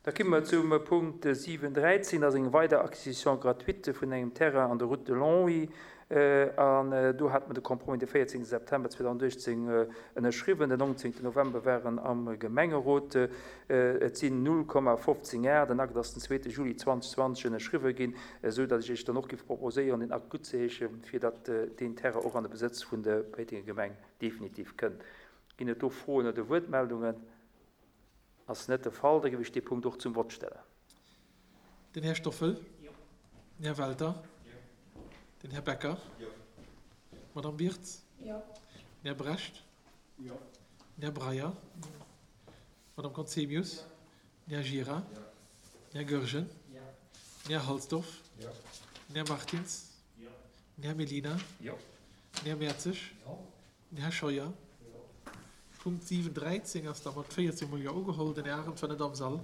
Da komme mer zum Punkt 7, 13, dat ass eng weider Acquisition gratuite vun engem Terrain an der Route de Longwy. An do hate mer de Compromis de 14 September 2018 ënnerschriwwen. Den 19 November war en am Gemengerot. Et sinn 0,15 Ar. Den Akt ass den zweete Juli 2020 ënnerschriwwe ginn, esou datt ech Iech dann och géif proposéieren, den Akt guttzeheeschen, fir datt deen Terrain och an de Besëtz vun der Péitenger Gemeng definitiv kënnt. Ginn et do Froen oder Wuertmeldungen? Ass net de Fall, da géif ech dee Punkt och zum Vott stellen. Den Här Stoffel. Jo. Den Här Welter. Jo. Den Här Becker. Jo. D'Madame Wirtz. Jo. Den Här Brecht. Jo. Den Här Breyer. Jo. D'Madame Conzemius. Jo. Den Här Gira. Jo. Den Här Goergen. Jo. Den Här Halsdorf. Jo. Den Här Martins. Jo. Den Här Mellina. Jo. Den Här Mertzig. Jo. Den Här Scheuer. Punkt 7, 13 ass da mat 14 mol Jo ugeholl. Den Här Arendt war net am Sall.